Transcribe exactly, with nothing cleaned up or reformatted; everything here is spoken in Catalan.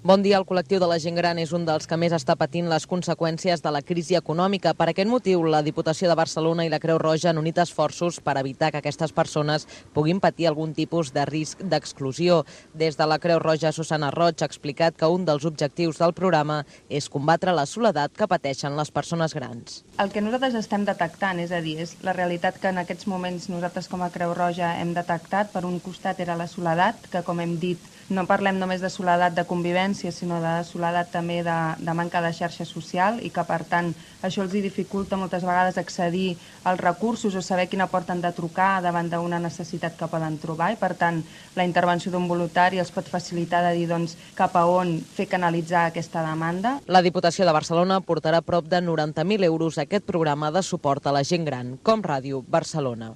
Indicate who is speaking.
Speaker 1: Bon dia. El col·lectiu de la gent gran és un dels que més està patint les conseqüències de la crisi econòmica. Per aquest motiu, la Diputació de Barcelona i la Creu Roja han unit esforços per evitar que aquestes persones puguin patir algun tipus de risc d'exclusió. Des de la Creu Roja, Susana Roig ha explicat que un dels objectius del programa és combatre la soledat que pateixen les persones grans.
Speaker 2: El que nosaltres estem detectant, és a dir, és la realitat que en aquests moments nosaltres com a Creu Roja hem detectat. Per un costat era la soledat, que com hem dit, no parlem només de soledat de convivència, sinó de soledat també de, de manca de xarxa social i que, per tant, això els dificulta moltes vegades accedir als recursos o saber quina porta han de trucar davant d'una necessitat que poden trobar i, per tant, la intervenció d'un voluntari els pot facilitar de dir doncs, cap a on fer canalitzar aquesta demanda.
Speaker 1: La Diputació de Barcelona portarà prop de noranta mil euros a aquest programa de suport a la gent gran, Com Ràdio Barcelona.